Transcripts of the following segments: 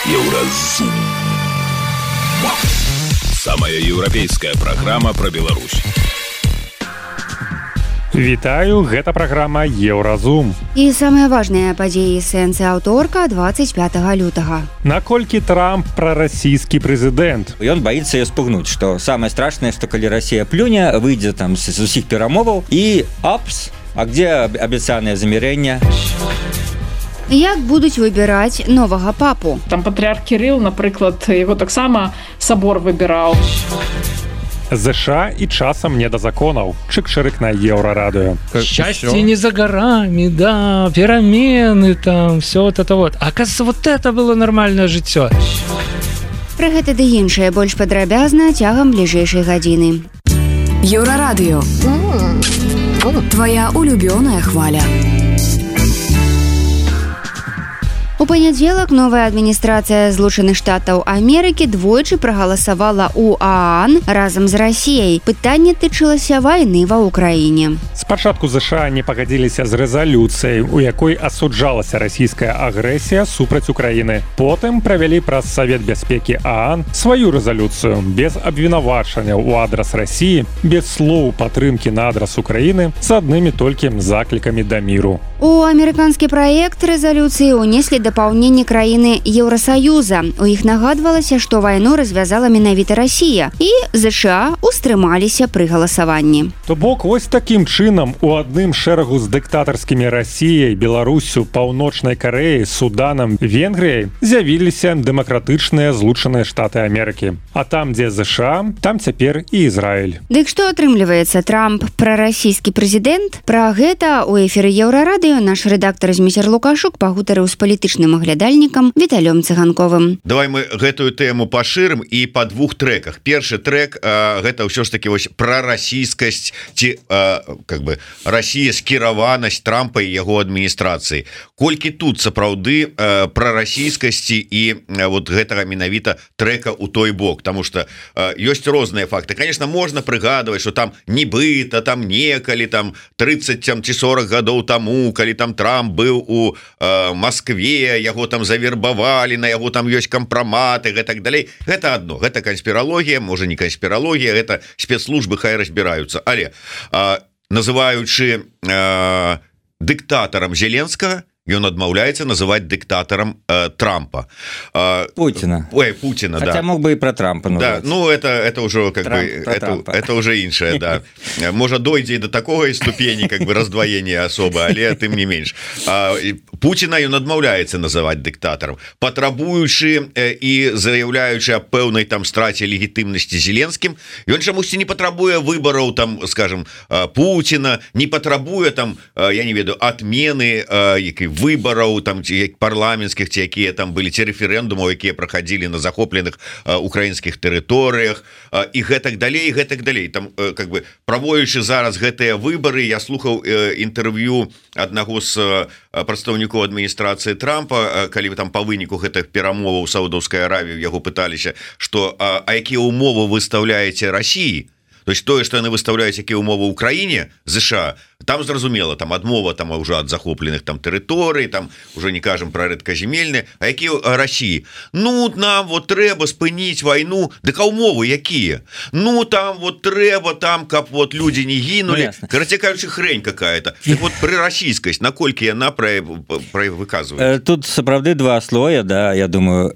Еўразум. Самая еўрапейская праграма пра Беларусь. Вітаю, гэта праграма Еўразум. І самыя важныя падзеі сэнсы аўторка 25 лютага. Наколькі Трамп прарасійскі прэзідэнт? Ён баіцца яе спугнуць, што самае страшнае, што калі Расія плюне, выйдзе там з усіх перамоваў і апс, а где абяцанае замірэнне? Як будуць выбіраць новага папу? Там патрыарх Кірыл, напрыклад, яго таксама сабор выбіраў. ЗША і часам не да законаў. Чык-чырык на Еўрарадыё. Счастье не за горами, да, перамены там, все вот это вот. Оказывается, вот это было нормальное жыццё. Пра гэта ды іншае больш падрабязна цягам бліжэйшай гадзіны. Еўрарадыё. Твоя улюбёная хваля. У панядзелак новая адміністрацыя Злучаных Штатаў Амерыкі двойчы прагаласавала ў ААН разам з Расіяй. Пытанне тычылася вайны ва ўкраіне. Спачатку ЗША не пагадзіліся з рэзалюцыяй, у якой асуджалася расійская агрэсія супраць Украіны. Потым правялі праз Савет бяспекі ААН сваю рэзалюцыю без абвінавачання ў адрас Расіі, без слоў падтрымкі на адрас Украіны, з аднымі толькі заклікамі да міру. У амерыканскі праект рэзалюцыі ўнеслі дапаўненні краіны Еўрасаюза. У іх нагадвалася, што вайну развязала менавіта Расія, і ЗША устрымаліся пры галасаванні. То бок, вось такім чынам у адным шэрагу з дыктатарскімі Расіяй, Беларуссю, Паўночнай Карэяй, Суданам, Венгрыяй з'явіліся дэмакратычныя Злучаныя Штаты Амерыкі. А там, дзе ЗША, там цяпер і Ізраіль. Дык што атрымліваецца, Трамп прарасійскі прэзідэнт? Пра гэта ў эфіры Еўрарадыё наш рэдактар Зміцер Лукашук пагутарыў з палітычным аглядальнікам Віталём Цыганковым. Давай мы гэтую тэму пашырым і па двух трэках. Першы трэк гэта ўсё ж таки вось пра расійскасць ці как бы Расія скіраванасць Трампа і яго адміністрацыі. Колькі тут сапраўды пра расійскасці і вот гэтага менавіта трэка ў той бок, потому что ёсць розныя факты. Конечно, можна прыгадваць, что там нібыта там некалі там 30 ці 40 гадоў таму, калі там Трамп быў у Москве, яго там завербавалі, на яго там ёсць кампраматы, гэтак далей. Гэта адно, гэта канспіралогія, можа не канспіралогія, гэта спецслужбы хай разбіраюцца. Але называючы дыктатарам Зеленскага, ён адмаўляецца называць дыктатарам Трампа. Путина. Ой, Путина, хотя да. мог бы и про Трампа называть. Да, ну это уже как бы это уже іншае, да. Можа дойдзе до такой ступені как бы раздвоения особо, але тым не менш. Путина ён адмаўляецца называць дыктатарам, патрабуючы і заяўляючы аб пэўнай там страце легітымнасці Зеленскім. Ён чамусьці не патрабуе выбараў там, скажем, Путина, не патрабуе там, я не ведаю, отмены выбараў там парламенцкіх, ці якія там былі, ці рэферэндумаў, якія праходзілі на захопленых украінскіх тэрыторыях і гэтак далей, гэтак далей. Там как бы праводзячы зараз гэтыя выбары, я слухаў інтэрв'ю аднаго з прадстаўнікоў адміністрацыі Трампа, калі там па выніку гэтых перамоваў Саудаўскай Аравіі яго пыталіся, што а якія ўмовы выстаўляеце Расіі? То есть тое, што яны выстаўляюць якія ўмовы ў краіне, ЗША, там зразумела, там адмова там уже ад захопленых там тэрыторый, там уже не кажам пра рэдказямельныя, а якія Расіі? Ну нам вот трэба спыніць вайну, дык а ўмовы якія? Ну там вот трэба там, каб вот людзі не гінулі, карацей кажучы, хрень какая-то. Так вот пры расійскасць, наколькі яна выказвае? Тут сапраўды два слоя, да, я думаю.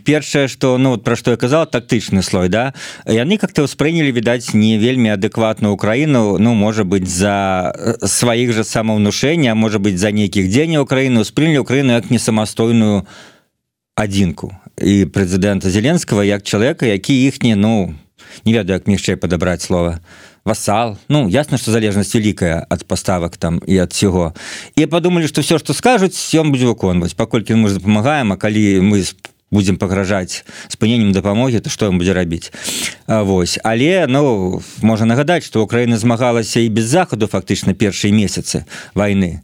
Першае, што, ну, пра што я казаў, тактычны слой, да, яны как-то ўспрынялі, відаць, не вельмі адэкватную Украіну, ну, можа быць, за сваіх жа самаўнушэння, а можа быць, за нейкіх дзеянняў Украіны, ўспрынялі Украіну як не самастойную адзінку. І прэзідэнта Зеленскага як чалавека, які іхні, ну, не ведаю, як яшчэ падабраць слова, васал. Ну, ясна, што залежнасць вялікая ад паставак там і ад всего. І падумалі, што все, што скажуць, ён будзе выконваць. Паколькі мы дапамагаем, а калі мы будзем пагражаць спыненнем дапамогі, то што ён будзе рабіць? Вось. Але, ну, можна нагадаць, што Украіна змагалася і без захаду фактычна першыя месяцы вайны.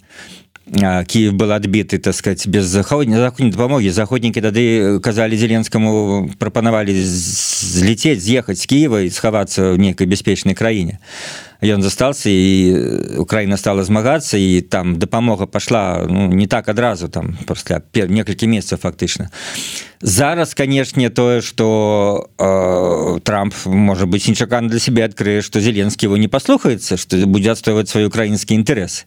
Киев был адбіты, так сказать, без заходняй дапамогі. Заходнікі тады казалі Зеленскаму, прапанавалі злетець, з'ехаць з Киева і схавацца ў нейкай бяспечнай краіне. ён застался і Украіна стала змагацца і там дапамога пашла не так адразу там пасля некалькі месяцаў фактычна. Зараз, канешне, тое, што Трамп, можа быць, нечакана для сябе адкрые, што Зеленскі его не паслухаецца, што будзе адстойваць свой украінскі інтарэс.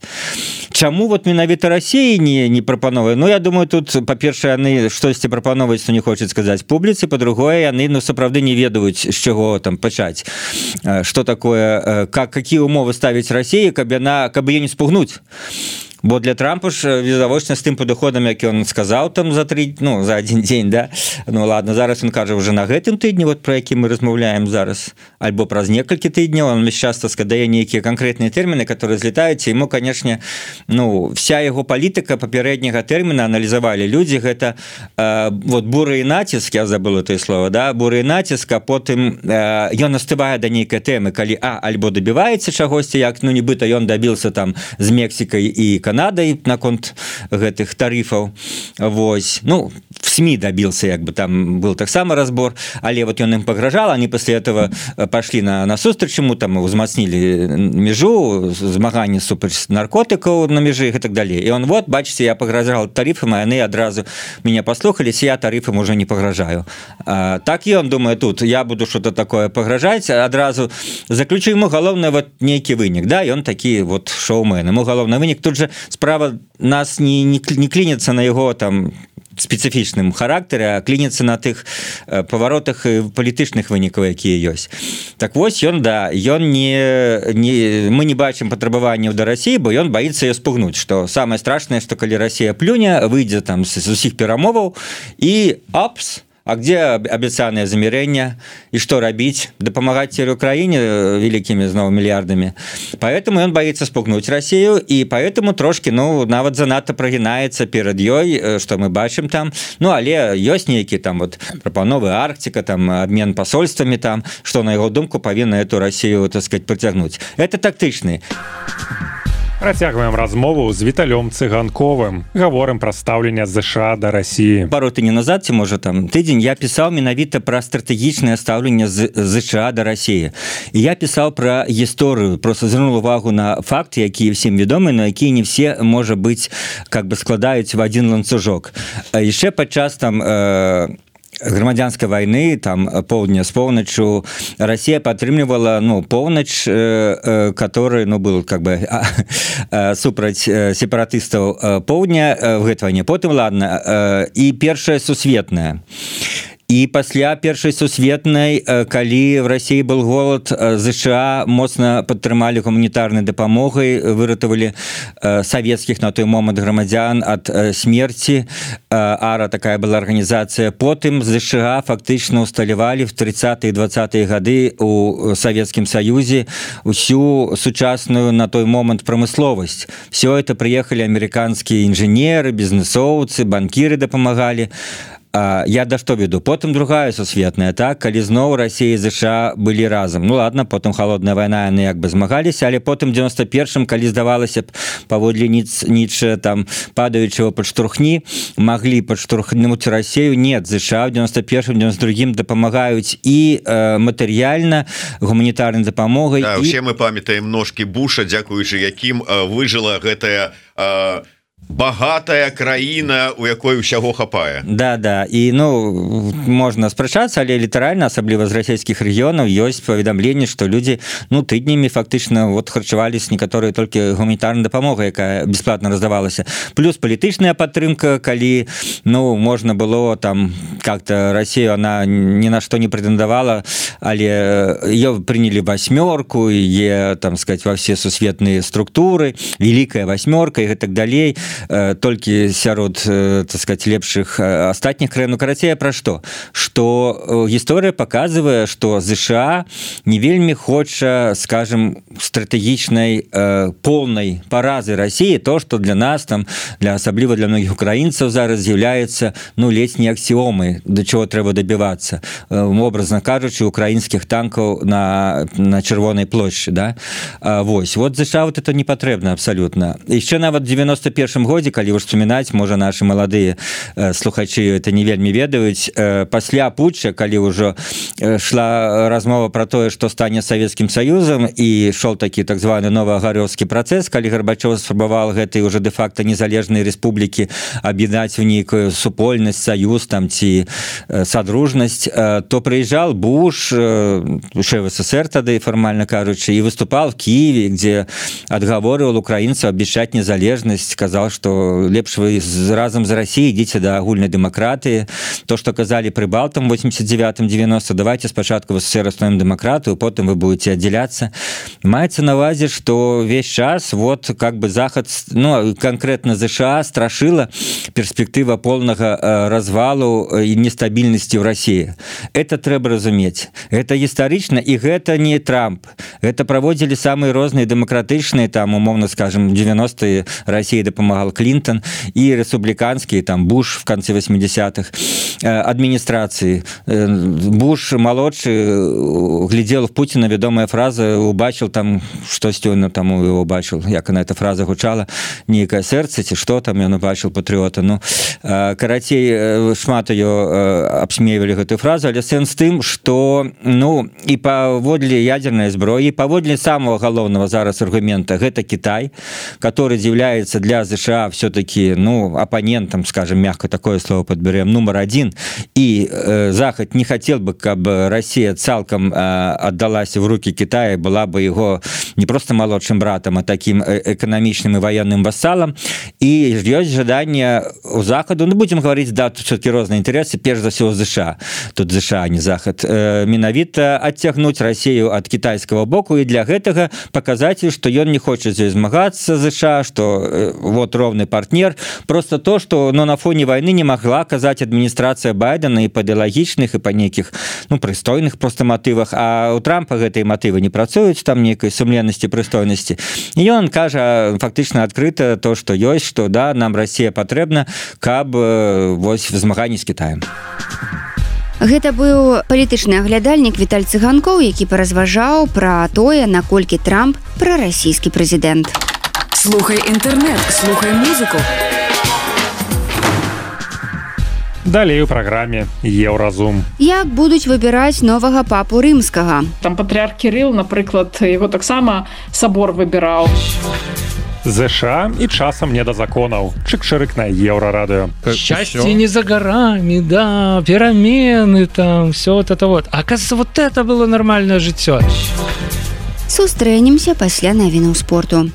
Чаму вот менавіта Расіі не прапановвае? Я думаю, тут, па-першае, яны штосьці прапановваюць, што не хочуць сказаць публіцы, па-другое, яны, сапраўды не ведаюць, з чаго там пачаць. Што такое, какие умовы ставіць Расіі, каб яе не спугнуць. Бо для Трампа ж відавочна з тым падыходам, які ён сказаў там за адзін дзень, да? Ладно, зараз ён кажа уже на гэтым тыдні, вот про які мы размаўляем зараз, альбо праз некалькі тыдняў, он часто складае нейкія канкрэтныя тэрміны, которые злетаюць, і ему, канешне, вся яго палітыка папярэдняга тэрміна аналізавалі людзі, гэта вот буры і націск, я забыла тое слово, да, буры і націск, а потым ён настывае да нейкай тэмы, калі альбо дабіваецца чагосьці, як, нібыта ён дабіўся там з Мексікай і Канадай наконт гэтых тарыфаў. Вось. В СМИ добился, як бы там был таксама разбор, але вот ён ім пагражал, они после этого пошли на сустрач ему, там узмацнілі межу, змаганне супраць наркотыкаў на межы і так далее. І он, вот, бачыце, я пагражал тарифам, а яны адразу меня послухались, я тарифам уже не пагражаю. Так і он думае тут, я буду что-то такое пагражаць, адразу заключу ему галоўны вот нейкі вынік, да, і он такі вот шоумен. Ему галоўны вынік, тут же справа нас не клінецца на яго там спецыфічным характары, а клінецца на тых паваротах палітычных вынікаў, якія ёсць. Так вось ён, да, мы не бачым патрабаванняў да Расіі, бо ён баіцца яе спугнуць, што самае страшнае, што калі Расія плюне, выйдзе там з усіх перамоваў і апс, а где обещанное замерение и что робить? Допомагать теперь Украине великими снова миллиардами. Поэтому он боится спугнуть Россию, и поэтому трошки, нават занадто прогинается перед ёй, что мы бачим там. Але ёсць нейкі там вот прапановы Арктика, там обмен посольствами там, что на его думку повинна эту Россию, так сказать, притягнуть. Это тактичный. Працягваем размову з Віталём Цыганковым. Гаворым пра стаўленне ЗША да Расіі. Пару тыдняў назад, ці можа там тыдзень, я пісаў менавіта пра стратэгічнае стаўленне ЗША да Расіі. І я пісаў пра гісторыю, просто звярнуў увагу на факты, якія всім вядомы, но якія не все, можа быць, как бы складаюць в адзін ланцужок. Яшчэ падчас там грамадзянскай вайны, там поўдня з поўначу, Расія падтрымлівала поўнач, который был как бы супраць сепаратыстаў поўдня в гэтай вайне. Потым, ладно, і першая сусветная. І пасля першай сусветнай, калі в Расіі был голод, ЗША моцна падтрымалі гуманітарнай дапамогай, выратавалі савецкіх на той момант грамадзян ад смерці. АРА такая была арганізацыя. Потым ЗША фактычна усталявалі в 30-е і 20-е гады у Савецкім Саюзе усю сучасную на той момант прамысловасць. Все это прыехалі амерыканскія інжынеры, бізнесоўцы, банкіры дапамагалі. Я да што веду? Потым другая сусветная, так? Калі зноў Расія і ЗША былі разам. Ладно, потым халодная вайна, яны як бы змагаліся, але потым 91-м, калі здавалася б, паводле Ніцше, там, падаючого падштурхні, маглі падштурхнуць Расію. Нет, ЗША в 91-м, 92-м дапамагаюць і матэрыяльна, гуманітарнай дапамогай. Да, усе мы памятаем ножкі Буша, дзякуючы якім выжыла гэтая багатая краіна, у якой усяго хапае. Да, і можна спрачацца, але літаральна, асабліва з расійскіх рэгіёнаў, ёсць паведамленне, што людзі тыднямі фактычна харчаваліся некаторыя толькі гуманітарнай дапамогай, якая бясплатна раздавалася. Плюс палітычная падтрымка, калі можна было там как-то Расію, она ні на што не прэтэндавала, але ее прынялі васьмёрку, яе, там сказать, во все сусветныя структуры, великая васьмёрка і гэтак далей. Толькі сярод, так сказать, лепшых астатніх краін. Карацей, пра што? Што гісторыя паказвае, што ЗША не вельмі хоча, скажем, стратэгічнай полнай паразы Расіі, то, што для нас, там, асабліва для многіх украінцаў зараз з'яўляецца, ледзь не аксіомай. войны, до чего трэба добиваться, образно кажучи, украинских танков на Червонной площади, да? Вот ЗША вот это не потребно абсолютно. Еще нават в 91 годзе, калі уж вспоминать, можа наши молодые слухачи это не вельмі ведаюць, пасля путча, калі ўжо шла размова про тое, что стане Советским Союзом, и шел такі так званы новоагарёўскі працэс, калі Горбачев спрабавал гэтай уже де-факто незалежнай республікі аб'яднаць в нейкую супольнасць, союз там ці содружнасць, то прыязджал Буш, шеф СССР тады фармальна кажучы, и выступал в Киеве, где отговаривал украинцев обещать незалежность, сказал, что лепш вы разом за Россией идите до агульной демократии. То, что казали прибалтам в 89-90, давайте спочатку в СССР основным демократию, потом вы будете отделяться. Маецца на увазе, что весь час вот как бы Захад, ну конкретно США страшила перспектива полного развалу и нестабильности в России. Это трэба разуметь. Это исторично, и это не Трамп. Это проводили самые разные демократичные, там, умовно скажем, 90-е России допомагал Клинтон, и республиканские, там, Буш в конце 80-х, администрации. Буш молодший глядел в Путина, ведомая фраза, убачил там, что Стёна там его убачил, як она эта фраза гучала, некое сердце, ці что там ён убачил патриота. Ну, карацей, шмат ее обсмеивали гэтую фразу, але сэнс тым, что, ну, и паводле ядерной зброі, паводле самого головного зараз аргумента, гэта Китай, который является для США все-таки, ну, оппонентом, скажем, мягко такое слово подберем, номер один, и Захад не хотел бы, чтобы Россия цалком отдалась в руки Китая, была бы его не просто молодшим братом, а таким экономичным и военным вассалом, и есть ожидание у Заходу, ну, будем говорить, да, тут все-таки разные интересы, прежде за всего США, тут США, а не Захад, менавіта оттягнуть Россию от китайского боку, и для гэтага показатель, что он не хочет здесь змагацца США, что вот ровный партнер, просто то, что, но на фоне войны не могла оказать администрация Байдена и по идеологичных, и по неких, ну, пристойных просто мотивах, а у Трампа гэтай мотивы не працуюць, там некой сумленности, пристойности, и он кажа фактично открыто то, что есть, что да, нам Россия патрэбна, каб вось в змаганні з Китаем. Гэта быў палітычны аглядальнік Віталь Цыганкоў, які паразважаў пра тое, наколькі Трамп прарасійскі прэзідэнт. Слухай інтэрнэт, слухай музыку. Далей у праграме Еўразум. Як будуць выбіраць новага папу рымскага? Там патрыарх Кірыл, напрыклад, яго таксама сабор выбіраў. ЗША и часам не до законов. Чик-ширик на Еврорадио. Счастье не за горами, да, перемены там, все вот это вот. Оказывается, вот это было нормальное жыццё. Сустрэнемся пасля навінаў спорту.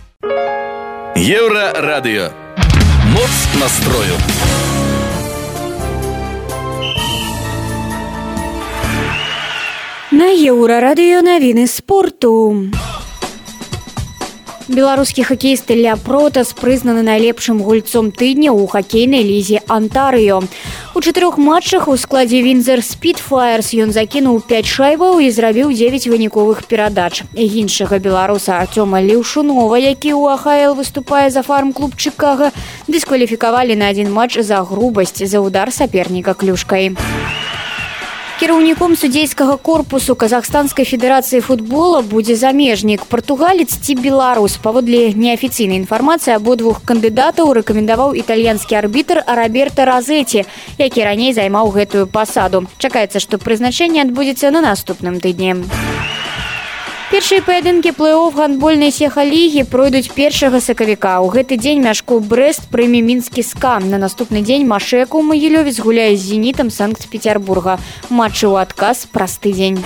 Еврорадио. Моц настрою. На Еўрарадыё навіны спорту. Беларускі хакеіст Ілля Протас прызнаны найлепшым гульцом тыдня ў хакейнай лізе Антарыё. У 4 матчах у складзе Вінзер Спітфайрс ён закінуў 5 шайбаў і зрабіў 9 выніковых перадач. Іншага беларуса Артёма Леўшунова, які ў АХЛ выступае за фарм-клуб Чикаго, дыскваліфікавалі на 1 матч за грубасць за удар саперніка клюшкай. Кіраўніком судзейскага корпусу Казахстанскай федэрацыі футбола будзе замежнік, партугалец ці беларус. Паводле неафіцыйнай інфармацыі абодвух кандыдатаў рэкамендаваў італьянскі арбітр Роберто Розеці, які раней займаў гэтую пасаду. Чакаецца, што прызначэнне адбудзецца на наступным тыдні. Першыя паядынкі плэй-офф гандбольнай сеха-лігі пройдуць 1 сакавіка. У гэты дзень мяшку Брэст прыме мінскі СКА. На наступны дзень Машэка ў Магілёве згуляе з Зенітам Санкт-Петербурга. Матчы ў адказ праз тыдзень.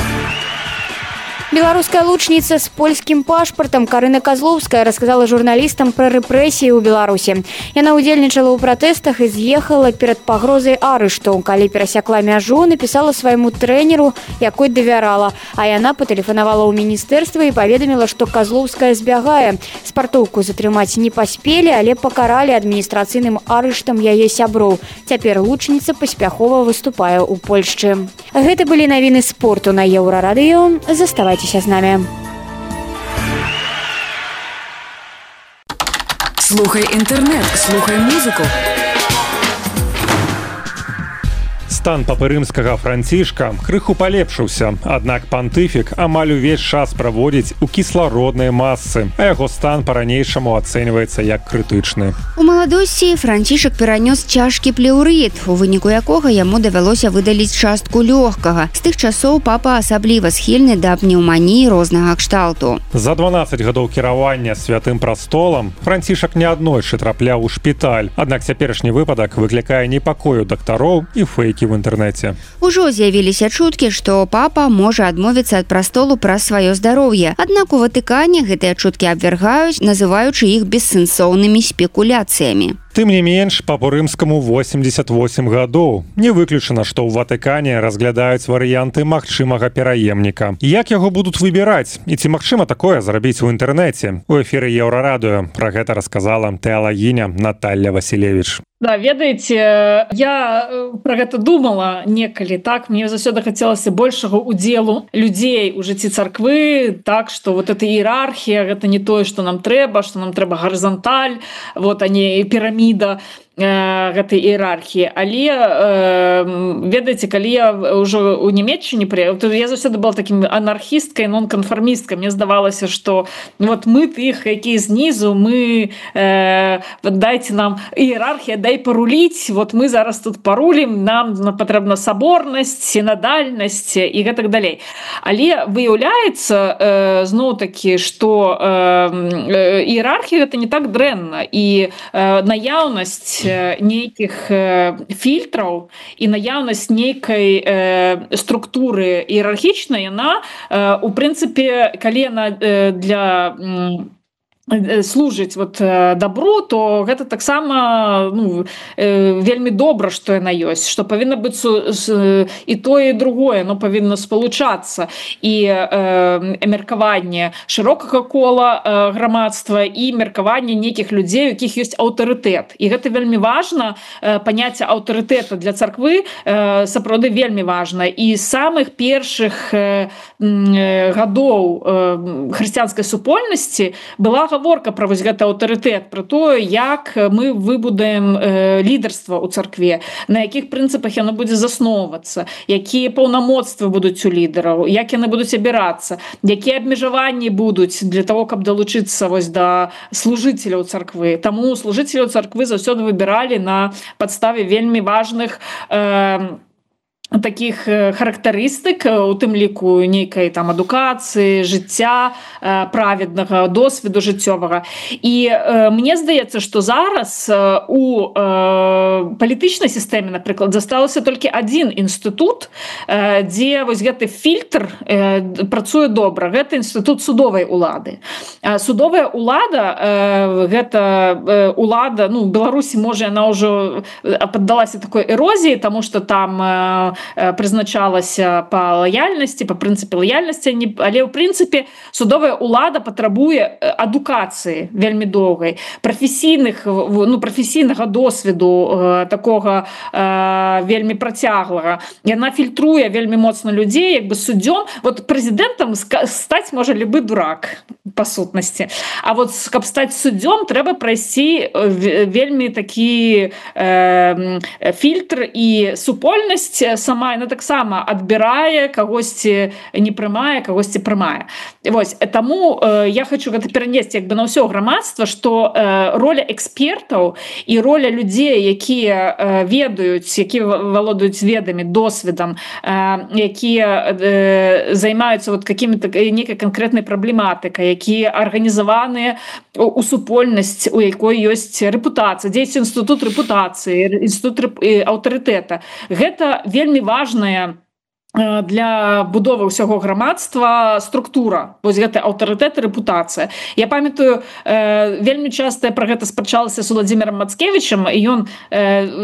Беларуская лучніца з польскім пашпартам Карына Казлоўская расказала журналістам пра рэпрэсіі ў Беларусі. Яна ўдзельнічала ў пратэстах і з'ехала перад пагрозай арышту. Калі перасякла мяжу, напісала свайму трэнеру, якой давярала, а яна патэлефанавала ў міністэрства і паведаміла, што Казлоўская збягае. Спартоўку затрымаць не паспелі, але пакаралі адміністрацыйным арыштам яе сяброў. Цяпер лучніца паспяхова выступае ў Польшчы. Гэта былі навіны спорту на Еўрарадыё. Заставайцеся з намі. Слухай інтэрнэт, слухай музыку. Стан папы рымскага Францішка крыху палепшыўся, аднак пантыфік амаль увесь час праводзіць у кіслародныя масы, а яго стан па-ранейшаму ацэньваецца як крытычны. У маладосці Францішак перанёс цяжкі плеўрыт, у выніку якога яму давялося выдаліць частку лёгкага. З тых часоў папа асабліва схільны да пнеўманіі рознага кшталту. За 12 гадоў кіравання святым прастолам Францішак неаднойчы трапляў у шпіталь, аднак цяперашні выпадак выклікае непакою дактароў і фейкі в інтэрнэце. Ужо з'явіліся чуткі, што папа можа адмовіцца ад прастолу праз сваё здароўе. Аднак у Ватыкане гэтыя чуткі абвяргаюць, называючы іх бессэнсоўнымі спекуляцыямі. Тым не менш, папу рымскаму 88 гадоў. Не выключана, што ў Ватыкане разглядаюць варыянты магчымага пераемніка. Як яго будуць выбіраць? І ці магчыма такое зрабіць у інтэрнэце? У эфіры Еўрарадыё пра гэта расказала тэалагіня Наталья Василевич. Да, ведаеце, я про гэта думала некалі, так, мне заўсёды хацелася большага удзелу людзей у жыцці царквы, так, што вот эта іерархія, гэта не тое, што нам трэба гарызанталь, вот, а не піраміда гэтай іерархіі. Але ведаеце, калі я ўжо ў Нямецчыне прыехала, я заўсёды была такім анархісткай, нонканфармісткай. Мне здавалася, што вот мы тых, якія знізу, мы дайце нам іерархія, дай паруліць, вот мы зараз тут парулім, нам патрэбна саборнасць, сінадальнасць і гэтак далей. Але выяўляецца зноў-такі, што іерархія гэта не так дрэнна, і наяўнасць нейкіх фільтраў і наяўнасць нейкай структуры іерархічнай, яна, у прынцыпе, калі яна для служыць вот добру, то гэта таксама вельмі добра, што яна ёсць, што павінна быць і тое, і другое, но павінна спалучацца, і меркаванне шырокага кола грамадства і меркаванне нейкіх людзей, у якіх ёсць аўтарытэт. І гэта вельмі важна, паняцце аўтарытэта для царквы сапраўды вельмі важна. І з самых першых гадоў хрысціянскай супольнасці была гаворка пра вось гэты аўтарытэт, пра тое, як мы выбудаем лідарства ў царкве, на якіх прынцыпах яно будзе засноўвацца, якія паўнамоцтвы будуць у лідараў, як яны будуць абірацца, якія абмежаванні будуць для того, каб далучыцца вось да служыцеляў царквы. Таму служыцеляў царквы заўсёды выбіралі на падставе вельмі важных таких характарыстык, у тым ліку нейкай там адукацыі, жыцця, праведнага досведу жыццёвага. І мне здаецца, што зараз у палітычнай сістэме, напрыклад, засталася толькі адзін інстытут, дзе вось гэты фільтр працуе добра. Гэта інстытут судовай улады. Судовая улада, гэта улада, Беларусі, можа, яна ўжо паддалася такой эрозіі, таму што там прызначалася па лаяльнасці, па прынцыпе лаяльнасці, але ў прынцыпе судовая улада патрабуе адукацыі вельмі доўгай, прафесійнага досведу такога вельмі працяглага. Яна фільтруе вельмі моцна людзей, як бы суддзём. Вот прэзідэнтам стаць можа любы дурак па сутнасці. А вот каб стаць суддзём, трэба прайсці вельмі такі фільтр, і супольнасць сама, яна таксама адбірае, кагосьці не прымае, кагосьці прымае. Вось, таму я хочу гэта перанесці як бы на ўсё грамадства, што роля экспертаў і роля людзей, якія ведаюць, якія валодаюць ведамі, досведам, якія займаюцца вот какими-то нейкай канкрэтнай праблематыкай, якія арганізаваныя у супольнасць, у якой ёсць рэпутацыя, дзейнасць інстытут рэпутацыі, інстытут аўтарытэта. Гэта вельмі важная для будовы ўсяго грамадства структура, вось гэта аўтарытэт і рэпутацыя. Я памятаю, вельмі часта я пра гэта спрачалася з Владзімірам Мацкевічам, і ён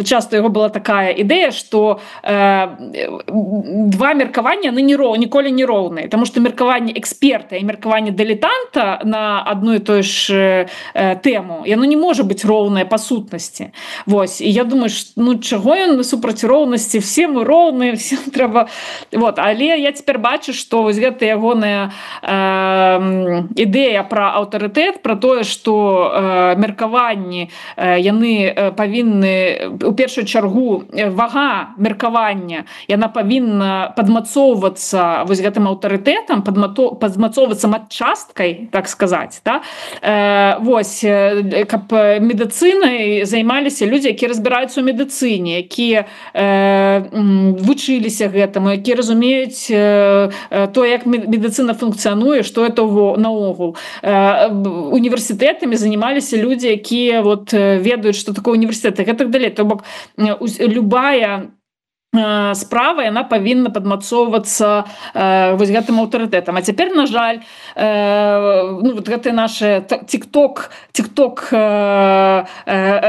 часта, яго была такая ідэя, што два меркавання ніколі не роўныя, таму што меркаванне эксперта і меркаванне дылетанта на адну і тую ж тэму, яно не можа быць роўнае па сутнасці. Вось, і я думаю, чаго ён супраць роўнасці, все мы роўныя, всем трэба вот, але я цяпер бачу, што вось гэта ягоная ідэя пра аўтарытэт, пра тое, што меркаванні яны павінны у першую чаргу вага меркавання, яна павінна падмацоўвацца вось гэтым аўтарытэтам, падмацоўвацца матчасткай, так сказаць, да? Вось, каб медыцынай займаліся людзі, якія разбіраюцца ў медыцыне, якія вучыліся гэтаму, якія разумеюць то, як медыцына функцыянуе, што это наогул. Універсітэтамі занималіся людзі, якія вот ведаюць, што такое універсітэт, і гэтак далей. То бок любая справа яна павінна падмацоўвацца вось гэтым аўтарытэтам. А цяпер, на жаль, ну, вот гэтыя нашы тик-ток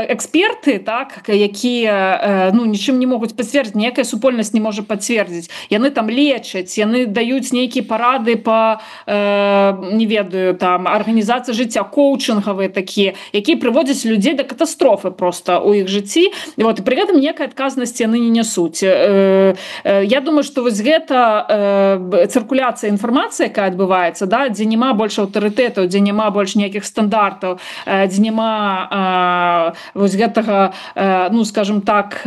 эксперты, так, якія ну, нічым не могуць пацвердзіць, ніякая супольнасць не можа пацвердзіць. Яны там лечаць, яны даюць нейкія парады па, не ведаю, там, арганізацыі жыцця, коучынгавыя такія, якія прыводзяць людзей да катастрофы проста ў іх жыцці. І вот, і пры гэтым ніякай адказнасці яны не нясуць. Я думаю, што вось гэта цыркуляцыя інфармацыі, якая адбываецца, да, дзе няма больш аўтарытэтаў, дзе няма больш ніякіх стандартаў, дзе няма вось гэтага, ну, скажем так,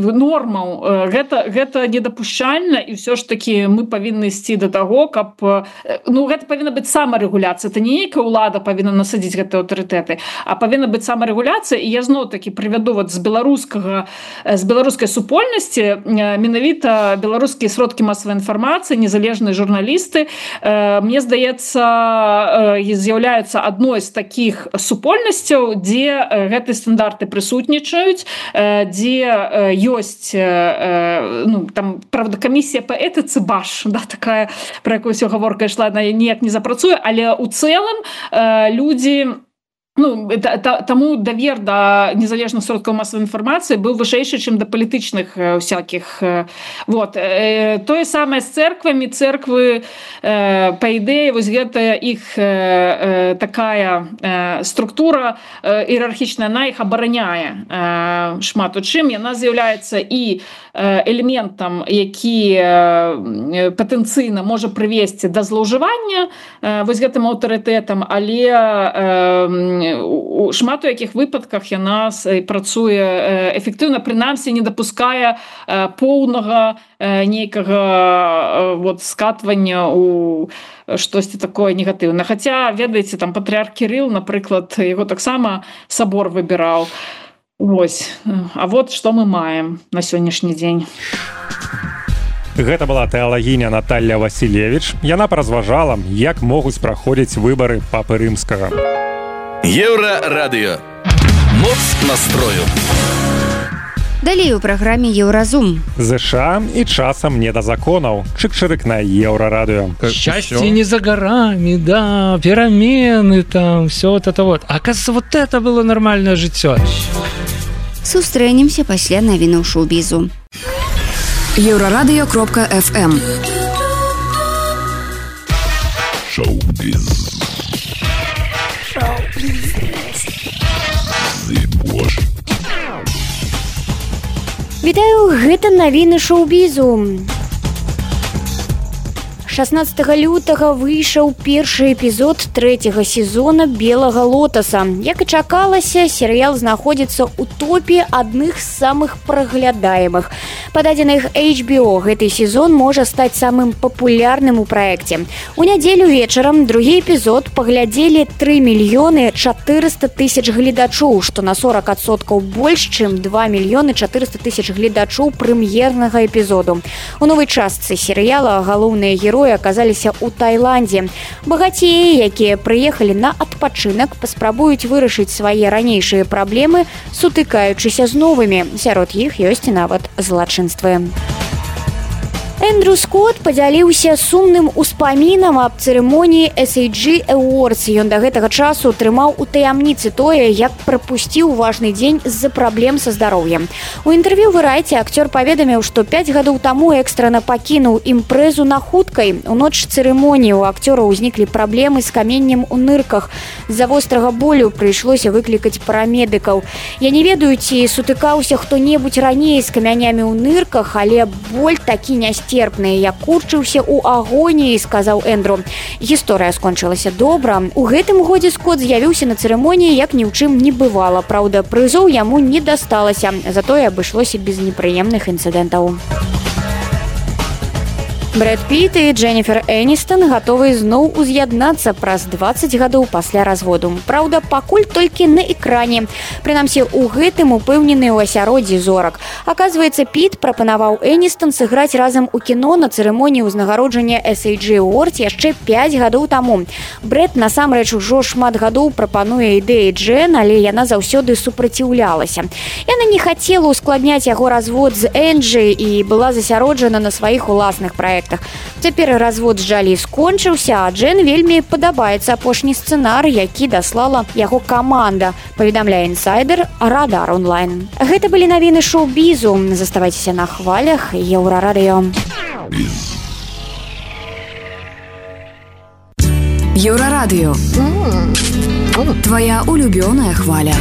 нормаў, гэта недапушчальна, і ўсё ж такі мы павінны ісці да таго, каб, ну, гэта павінна быць самарэгуляцыя, это не нейкая ўлада павінна насадзіць гэтыя аўтарытэты, а павінна быць самарэгуляцыя. І я зноў-такі прывяду вот з беларускай супольнасці, менавіта беларускія сродкі масавай інфармацыі, незалежныя журналісты, мне здаецца, з'яўляюцца адной з такіх супольнасцяў, дзе гэтыя стандарты прысутнічаюць, дзе ёсць, ну, там, правда, камісія па этыцы БАШ, да, такая, пра якую ўсё гаворка ішла, яна ніяк не запрацуе, але ў цэлым людзі, ну, таму давер да незалежных сродкаў масавай інфармацыі быў вышэйшы, чым да палітычных всякіх. Вот. Тое самае з цэрквамі. Цэрквы, па ідэі, вось гэта іх такая структура іерархічная, яна іх абараняе шмат у чым. Яна з'яўляецца і элементам, які патэнцыйна можа прывесці да злоўжывання вось гэтым аўтарытэтам, але у шмат у якіх выпадках яна працуе эфектыўна, прынамсі не дапускае поўнага нейкага вот скатвання у штосьці такое негатыўнае. Хаця, ведаеце, там патрыарх Кірыл, напрыклад, яго таксама сабор выбіраў. Вось. А вот што мы маем на сённяшні дзень. Гэта была тэалагіня Наталья Васілевіч. Яна паразважала, як могуць праходзіць выбары папы рымскага. Еўрарадыё. Моц настрою. Далей у праграме Еўразум. ЗША і часам не да законаў. Чык-чырык на Еўрарадыё. Счастье не за горами, да, перемены там, все вот это вот. Оказывается, вот это было нормальное жыццё. Сустрэнемся пасля навінаў шоу-бізу. Еўрарадыё.фм. Шоу-біз. Вітаю, гэта навіны шоу-бізу. 16 лютага выйшаў першы эпізод 3-го сезона «Белага лотаса». Як і чакалася, серыял знаходзіцца ў топе адных з самых праглядаемых. Па дадзеных HBO гэты сезон можа стаць самым папулярным у праекце. У нядзелю вечарам другі эпізод паглядзелі 3 мільёны 400 тысяч гледачоў, што на 40% больш, чым 2 мільёны 400 тысяч гледачоў прэм'ернага эпізоду. У новай частцы серыяла галоўныя героі аказаліся ў Таіландзе. Багацеі, якія прыехалі на адпачынак, паспрабуюць вырашыць свае ранейшыя праблемы, сутыкаючыся з новымі. Сярод іх ёсць нават злачынствы. Эндрю Скотт падзяліўся сумным успамінам аб цырымоніі SAG Awards. Ён да гэтага часу трымаў у таямніцы тое, як прапусціў важны дзень з-за праблем са здароўем. У інтэрв'ю Variety акцёр паведаміў, што 5 гадоў таму экстрана пакінуў імпрэзу на хуткай. У ноч цырымоніі у акцёра ўзніклі праблемы з каменнем у нырках. З-за вострага болю прыйшлося выклікаць парамедыкаў. Я не ведаю, ці сутыкаўся хто-небудзь раней з камянямі ў нырках, але боль такі нясцерпны. Я курчыўся ў агоніі, сказаў Эндрю. Гісторыя скончылася добра. У гэтым годзе Скотт з'явіўся на цырымоніі, як ні ў чым не бывала. Праўда, прызоў яму не дасталася, затое абышлося без непрыемных інцыдэнтаў. Брэд Піт і Дженніфер Эністон гатовы зноў уз'яднацца праз 20 гадоў пасля разводу. Праўда, пакуль толькі на экране. Прынамсі, у гэтым упэўнены ў асяроддзі зорак. Аказваецца, Піт прапанаваў Эністон сыграць разам у кіно на цырымоніі ўзнагароджання SAG Awards яшчэ 5 гадоў таму. Брэд насамрэч ужо шмат гадоў прапануе ідэі Джен, але яна заўсёды супраціўлялася. Яна не хацела ускладняць яго развод з Энджі і была засяроджана на сваіх уласных праектах. Цяпер развод з Джалі скончыўся, а Джен вельмі падабаецца апошні сцэнар, які даслала яго каманда, паведамляе інсайдер Радар онлайн. Гэта былі навіны шоу-бізу. Заставайцеся на хвалях Еўрарадыё. Еўрарадыё. Твоя улюбёная хваля.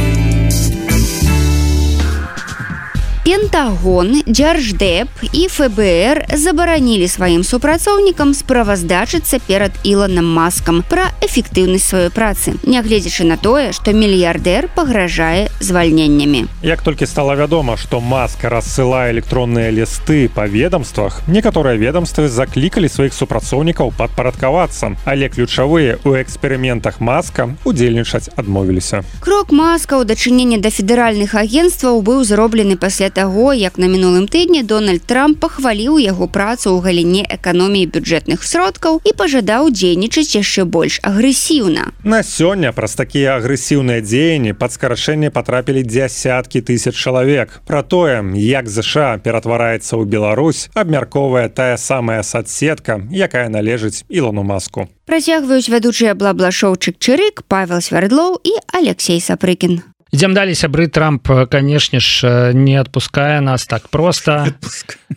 Пентагон, Дзярждэп і ФБР забаранілі сваім супрацоўнікам справаздачыцца перад Ілонам Маскам пра эфектыўнасць сваёй працы, нягледзячы на тое, што мільярдэр пагражае звальненнямі. Як толькі стала вядома, што Маск рассылае электронныя лісты па ведамствах, некаторыя ведамствы заклікалі сваіх супрацоўнікаў падпарадкавацца, але ключавыя ў эксперыментах Маска удзельнічаць адмовіліся. Крок Маска ў дачыненні да федэральных агенцтваў быў зроблены пасля таго, як на мінулым тыдні Дональд Трамп пахваліў яго працу ў галіне эканоміі бюджэтных сродкаў і пажадаў дзейнічаць яшчэ больш агрэсіўна. На сёння праз такія агрэсіўныя дзеянні пад скарачэнне патрапілі дзясяткі тысяч чалавек. Пра тое, як ЗША ператвараецца ў Беларусь, абмяркоўвае тая самая соцсетка, якая належыць Ілону Маску. Працягваюць вядучыя бла-бла-шоу Чык-Чырык, Павел Свярдлоў і Алексей Сапрыкін. Идем далее, сябры. Трамп, конечно ж, не отпуская нас так просто.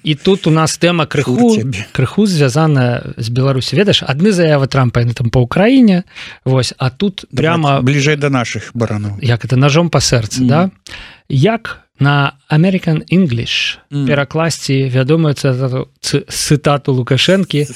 И тут у нас тема крыху звязана с Беларусью. Ведаешь, одни заявы Трампа там по Украине, вось, а тут прямо... Ближе до наших баранов. Як это, ножом по сердцу, да? Як на American English перакласці вядомую цытату Лукашэнкі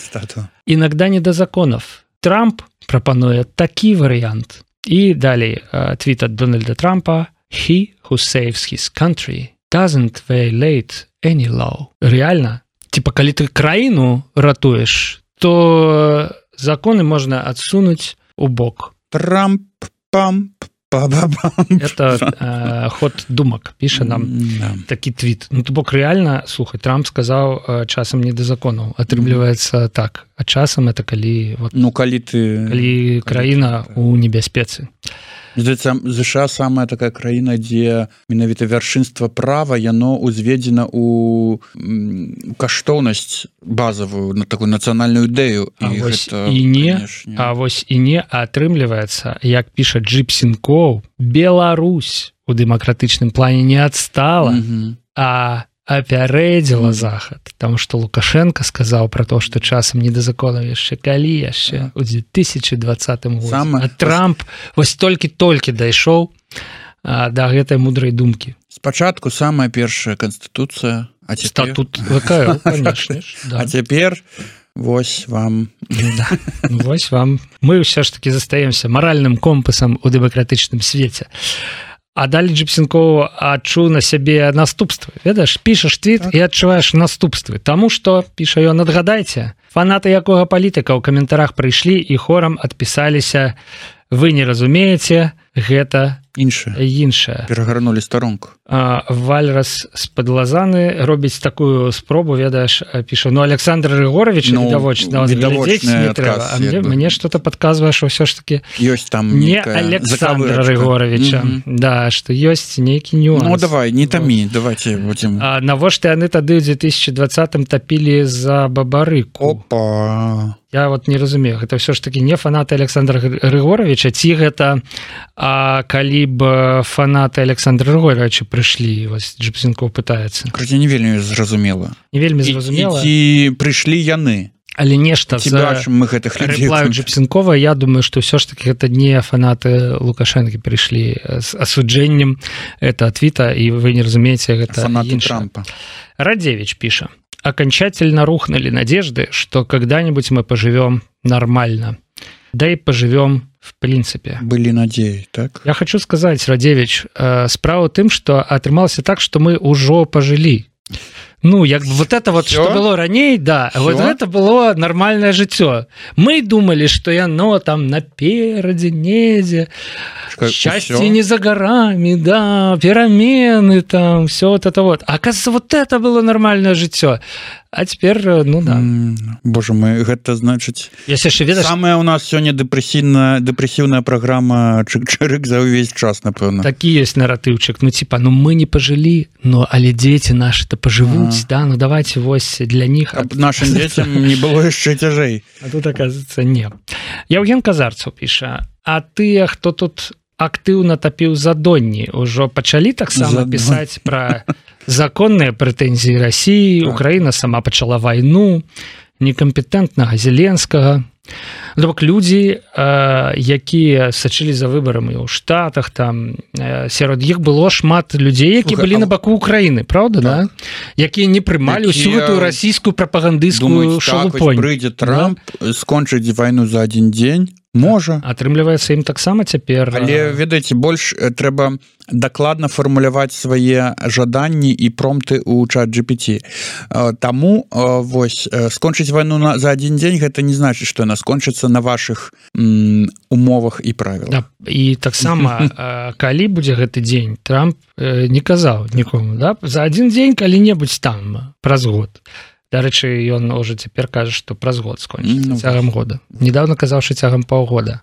«Иногда не до законов». Трамп прапануе такі варыянт. И далее твит от Дональда Трампа: «He who saves his country doesn't violate any law». Реально, типа, коли ты краину ратуешь, то законы можно отсунуть у бок. Трамп, пам, па-ба-бам. Это ход думок, пишет нам такі твит. Ну, то бок реально, слухай, Трамп сказал часам не до законов. Атрымліваецца так. А часам это калі... Вот, ну, калі краіна у небяспецы. ЗША самая такая краіна, дзе менавіта вяршынства права, яно узведзена ў каштоўнасць базавую, на такую нацыянальную ідэю. Вось і не атрымліваецца, як піша Джипсенкоў, Беларусь у дэмакратычным плане не адстала, а апярэдзіла Захад, потому что Лукашенко сказал про то, что часам не до законов яшчэ калі яшчэ у 2020 годзе. А Трамп вось толькі дайшоў да гэтай мудрай думкі. Спачатку самая першая канстытуцыя, а цяпер... Статут ВК, конечно. А цяпер вось вам. Вось вам. Мы ўсё ж таки застаемся маральным компасам у дэмакратычным свеце. А далее Джипсенкоў адчуў на сябе наступствы. Ведаеш, пішаш твіт і адчуваеш наступствы. Таму што, піша ён, адгадайце, фанаты якога палітыка ў каментарах прыйшлі і хорам адпісаліся: «Вы не разумееце, гэта іншая перагарнули старонку. Вальрас з-пад Лазаны робіць такую спробу, ведаеш, піша, Александр Григорович відавочна, не трэба, мне что-то подказвае, што ўсё ж таки ёсць там не Александра Григоровича, да, што ёсць нейкі нюанс. Ну давай, не тамі, давайте будем. Навошта яны тады ў 2020 тапілі за Бабарыку? Опа. Я вот не разумею, гэта ўсё ж таки не фанаты Александра Григоровича, ці гэта калі б фанаты Александра Григоровича прыйшлі, вось Джипсенков пытаецца. Короче, не вельмі зразумела. Не вельмі зразумела. І прыйшлі яны. Але нешта за рэплаю Джипсенкова, я думаю, што ўсё ж таки гэта не фанаты Лукашэнкі прыйшлі з асуджэннем это твіта, і вы не разумееце, гэта фанаты Трампа. Радзевич піша: окончательно рухнули надежды, что когда-нибудь мы поживем нормально. Да и поживем в принципе. Были надеи, так? Я хочу сказать, Радзевич, справа тым, что атрымалася так, что мы ўжо пожили. Ну, як вот это вот, что было раней, да, вот это было нормальное жыццё. Мы думали, что яно там наперадзе недзе, счастье не за горами, да, перамены там, все вот это вот. А оказывается, вот это было нормальное жыццё. А теперь, ну да. Боже мой, гэта значыць... Ведаеш... Самая у нас сёння дэпрэсіўная праграма Чык-Чырык за ўвесь час, напэўна. Такі ёсць наратыўчык. Ну, типа, ну мы не пожылі, но але дзеці нашы-то пожывуць, да, ну давайте вось для них... Нашим дзецям не было яшчэ цяжэй. А тут, оказывается, не. Яўген Казарцаў піша: а тыя, хто тут актыўна тапіў задонні, ужо пачалі таксама пісаць пра законныя прэтэнзіі России, Украіна сама пачала вайну, некампетэнтнага Зеленскага. Бок людзі, якія сачылі за выбарамі ў Штатах, там сярод іх было шмат людзей, які былі на баку Украіны, правда, да? Якія не прымалі ўсю гэтую расійскую прапагандысцкую шалупонь. Прыйдзе Трамп, скончыць вайну за адзін дзень, можа. Атрымліваецца, ім таксама цяпер... Але, ведаеце, больш трэба дакладна фармуляваць свае жаданні і промпты ў чат-GPT. Таму, вось, скончыць вайну за адзін дзень, гэта не значыць, што яна скончыцца на вашых умовах і правілах. Да, і таксама, калі будзе гэты дзень, Трамп не казаў нікому, да? За адзін дзень калі-небудзь там, праз год. Дарэчы, ён уже цяпер кажа, што праз год скончыцца, цягам года. Недавно казаў, што цягам паўгода.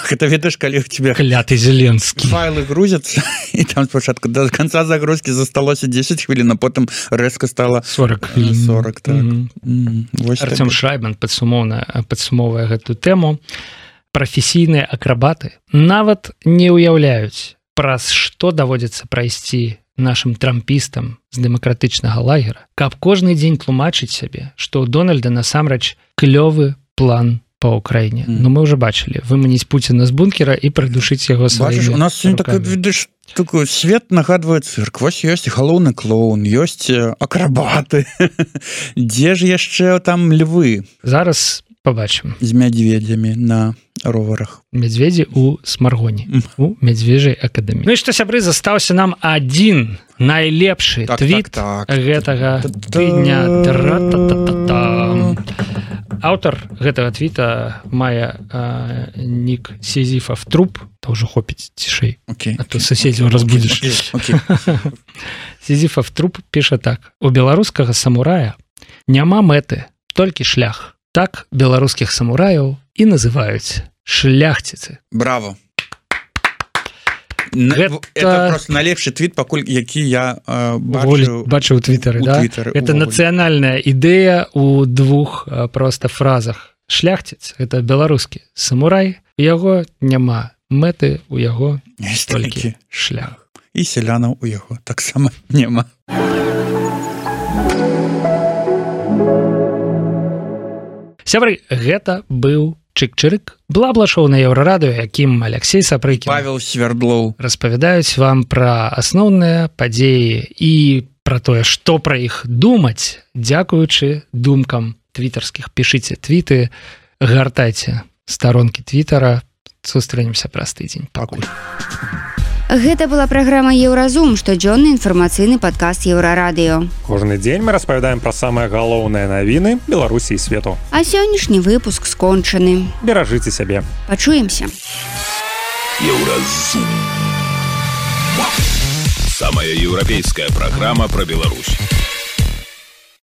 Гэта ведаеш, калі ў тебе кляты Зеленскі. Файлы грузяцца, і там спачатку да канца загрузкі засталося 10 хвілін, а потым рэзка стала 40 хвілін. 40, так. Арцём Шрайбман падсумоўвае гэтую тэму. Прафесійныя акрабаты нават не ўяўляюць, праз што даводзіцца прайсці нашим трампістам з дэмакратычнага лагера, каб кожны дзень тлумачыць сябе, што ў Дональда насамрэч клёвы план по Украіне. Ну мы уже бачылі, выманіць Пуціна з бункера і прыдушыць яго сваімі рукамі. У нас сёння такой, видиш, такой свет нагадвае цырк. Вось ёсць галоўны клоун, ёсць акрабаты. Дзе ж яшчэ там львы? Зараз побачым. З мядзведзямі на роварах. Мядзведзі ў Смаргоне, у Мядзвежай акадэміі. Ну і што, сябры, застаўся нам адзін найлепшы твіт гэтага тыдня. Аўтар гэтага твіта мае нік Сізіфав труп, то ўжо хопіць цішэй, а то суседзяў разбудзіш. Сізіфав труп піша так: у беларускага самурая няма мэты, толькі шлях. Так беларускіх самураяў і называюць шляхціцы. Браво. Это просто найлепшы твіт, пакуль які я бачыў у твітары, да? Это нацыянальная ідэя у двух просто фразах. Шляхціц — это беларускі самурай, у яго няма мэты, у яго толькі шлях. І сялянаў у яго таксама няма. Сябры, гэта быў Чык-Чырык, бла-бла-шоу на Еўрарадыё, якім Алексей Сапрыкін, Павел Свердлоў распавядаюць вам пра асноўныя падзеі і пра тое, што пра іх думаць, дзякуючы думкам твітарскіх. Пішыце твіты, гартайце старонкі твітара. Сустрэнемся праз тыдзень. Пакуль. Гэта была праграма Еўразум, штодзённы інфармацыйны падкаст Еўрарадыё. Кожны дзень мы распавядаем пра самыя галоўныя навіны Беларусі і свету. А сённяшні выпуск скончаны. Беражыце сябе. Пачуемся. Еўразум. Самая европейская программа про Беларусь.